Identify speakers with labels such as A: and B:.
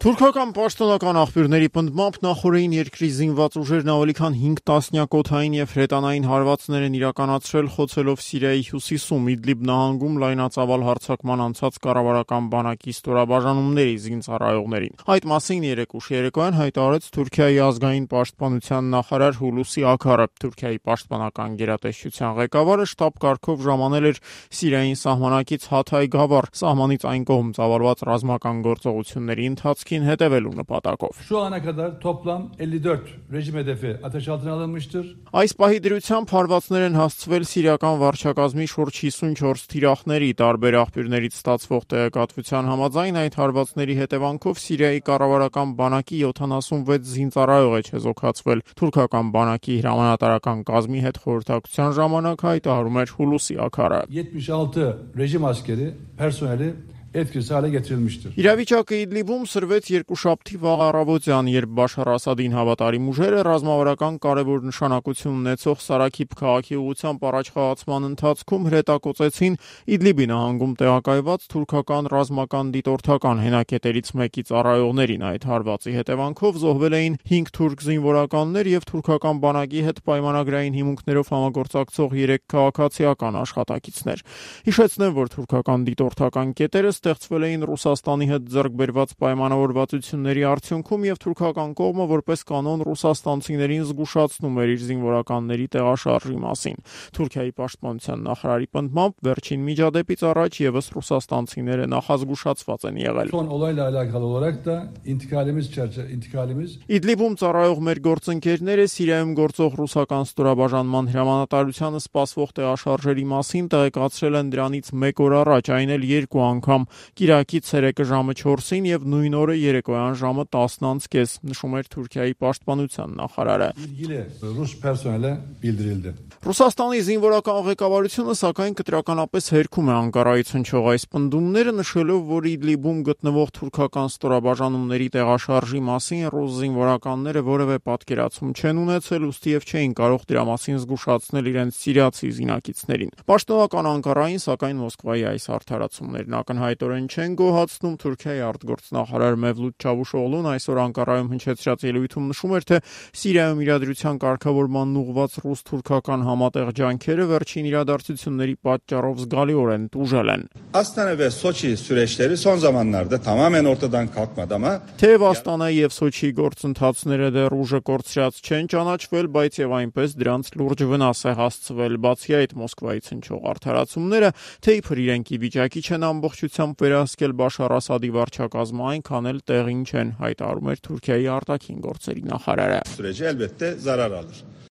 A: Թուրքական պաշտոնական աղբյուրների պնդմամբ նախօրեին երկրի զինված ուժերն ավելի քան 5 տասնյակ օդային եւ հրետանային հարվածներ են իրականացրել խոցելով Սիրիայի հյուսիսում Իդլիբ նահանգում լայնածավալ հարձակման անցած կառավարական բանակի ստորաբաժանումների զինծառայողներին։ Այդ մասին երեկ ուշ երեկոյան հայտարարեց Թուրքիայի ազգային պաշտպանության նախարար Հուլուսի Աքարը։ Թուրքիայի պաշտպանական գերատեսչության ղեկավարը շտաբ կարգով ժամանել էր Սիրիային սահմանակից Հաթայ Գավառ, սահմանից այն կողմ ծավալված ռազմական գործողությունների ընթացքին հետևելու նպատակով։
B: Şu ana kadar toplam 54 rejim hedefi ateş altına alınmıştır.
A: Այս պահի դրությամբ հարվածներ են հասցվել սիրիական վարչակազմի շուրջ 54 թիրախների, տարբեր աղբյուրներից ստացվող տեղեկատվության համաձայն այդ հարվածների հետևանքով Սիրիայի կառավարական բանակի 76 զինծառայող է չեզոքացվել։ Թուրքական բանակի հրամանատարական կազմի հետ խորհրդակցության ժամանակ հայտարարում էր Հուլուսի Աքարը։
B: 76 rejim askeri personeli etkisiz hale getirilmiştir.
A: Իրավիճակը Իդլիբում սրվեց երկուշաբթի վաղ առավոտյան, երբ Բաշար Ասադին հավատարիմ ուժերը ռազմավարական կարևոր նշանակություն ունեցող Սարաքիբ քաղաքի ուղղությամբ առաջխաղացման ընթացքում հրետակոծեցին Իդլիբի նահանգում տեղակայված թուրքական ռազմական դիտորդական հենակետերից մեկի ծառայողներին։ Այդ հարվածի հետևանքով զոհվել էին 5 թուրք զինվորականներ եւ թուրքական բանակի հետ պայմանագրային հիմունքներով համագործակցող 3 քաղաքացիական աշխատակիցներ։ Հիշեցնեմ, որ թուրքական դիտորդական կետերը ստեղծվել էին Ռուսաստանի հետ ձեռք բերված պայմանավորվածությունների արդյունքում եւ թուրքական կողմը որպես կանոն ռուսաստանցիներին զգուշացնում էր իր զինվորականների տեղաշարժի մասին։ Թուրքիայի պաշտպանության նախարարի պնդմամբ վերջին միջադեպից առաջ եւս ռուսաստանցիները նախազգուշացված են եղել։
B: Son olayla alakalı olarak da intikalimiz
A: Իդլիբում ծառայող մեր գործընկերները Սիրիայում գործող ռուսական ստորաբաժանման հրամանատարությանը սպասվող տեղաշարժերի մասին տեղեկացրել են դրանից 1 օր առաջ, այն էլ 2 անգամ։ Կիրակի ցերեկը ժամը 4-ին եւ նույն օրը երեկոյան ժամը 10:30, նշում էր Թուրքիայի պաշտպանության նախարարը։
B: ilgili Rus personele bildirildi.
A: Ռուսաստանի զինվորական ղեկավարությունը սակայն կտրականապես հերքում է Անկարայից հնչող այս պնդումները, նշելով, որ Իդլիբում գտնվող թուրքական ստորաբաժանումների տեղաշարժի մասին ռուս զինվորականները որևէ պատկերացում չեն ունեցել, ուստիև չէին կարող դրա մասին զգուշացնել իրենց սիրիացի զինակիցներին։ Պաշտոնական Անկարային սակայն Մոսկվայի այս արդարացումներն ակնհայտորեն չեն գոհացնում։ Թուրքիայի արտգործնախարար Մևլութ Չավուշօղլուն այսօր Անկարայում հնչեցրած ելույթում նշում էր, թե Սիրիայում իրադրության կարգավորման ուղղված ռուս-թուրքական համատեղ ջանքերը վերջին իրադարձությունների պատճառով զգալիորեն տուժել են։
C: Astana ve Soçi süreçleri son zamanlarda tamamen ortadan kalkmadı ama
A: Թեև Աստանայի եւ Սոչիի գործընթացները դեռ ուժը կորցրած չեն ճանաչվել, բայց եւ այնպես դրանց լուրջ վնաս է հասցվել։ Բացի այդ Մոսկվայից հնչող արդարացումները, թե իբր իրենք ի վիճակի չեն ամբողջությամբ վերահսկել Բաշար Ասադի վարչակազմը, այնքան էլ տեղին չեն, հայտարարում էր Թուրքիայի արտաքին գործերի նախարարը։
C: süreci elbette zarar alır.